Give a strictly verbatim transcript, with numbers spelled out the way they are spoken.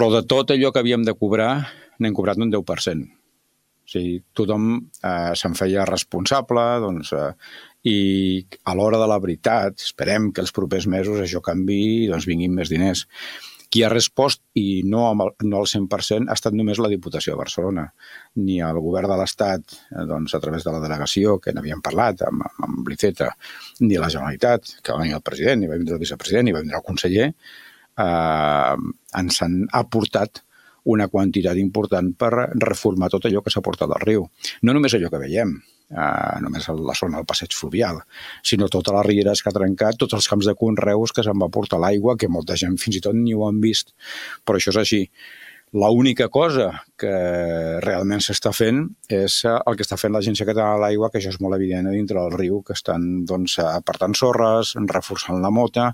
Però de tot allò que havíem de cobrar, n'hem cobrat un deu per cent. O sigui, tothom eh, se'n feia responsable, doncs, eh, i a l'hora de la veritat, esperem que els propers mesos això canvi i doncs, vinguin més diners. Qui ha respost, i no, amb el, no al cent per cent, ha estat només la Diputació de Barcelona, ni el govern de l'Estat, eh, doncs, a través de la delegació, que n'havíem parlat amb, amb l'Iceta, ni la Generalitat, que va venir el president, ni va vindre el vicepresident, ni va vindre el conseller, eh, ens han aportat una quantitat important per reformar tot allò que s'ha portat al riu. No només allò que veiem, eh, només la zona del passeig fluvial, sinó totes les rieres que ha trencat, tots els camps de conreus que se'n va portar l'aigua, que molta gent fins i tot ni ho han vist. Però això és així. L'única cosa que realment s'està fent és el que està fent l'Agència Catalana de l'Aigua, que això és molt evident a dintre del riu, que estan doncs, apartant sorres, reforçant la mota,